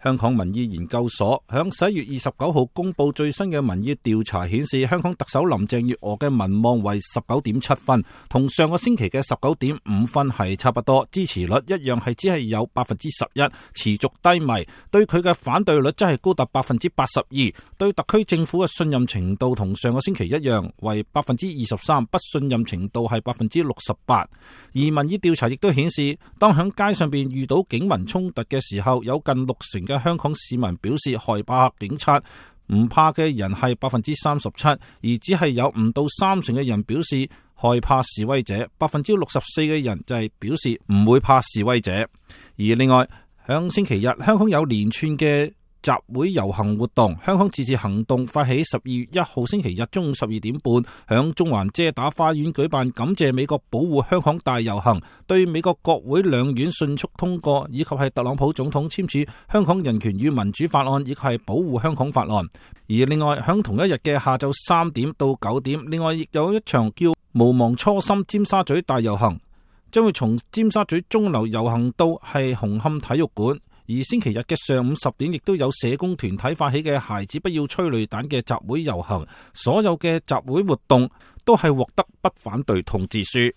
香港民意研究所響11月29號公布最新嘅民意調查顯示，香港特首林鄭月娥嘅民望為 19.7 分，同上個星期嘅 19.5 分係差不多，支持率一樣係只係有 11%， 持續低迷。對佢嘅反對率則係高達 82%， 對特區政府嘅信任程度同上個星期一樣為 23%， 不信任程度係 68%。而民意調查亦都顯示，當響街上邊遇到警民衝突嘅時候，有近60%嘅香港市民表示害怕警察，唔怕嘅人係 37%， 而只係有唔到30%嘅人表示害怕示威者， 64% 嘅人就係表示唔會怕示威者。而另外響星期日，香港有連串嘅集會遊行活動，香港自治行動發起12月1號星期日中午12點半響中環遮打花園舉辦感謝美國保護香港大遊行，對美國國會兩院迅速通過以及係特朗普總統簽署香港人權與民主法案以及係保護香港法案。而另外響同一日嘅下晝3點到9點，另外亦有一場叫無忘初心尖沙咀大遊行，將會從尖沙咀鐘樓遊行到係紅磡體育館。而星期日嘅上午10點，亦都有社工團體發起嘅孩子不要催淚彈嘅集會遊行，所有嘅集會活動都係獲得不反對通知書。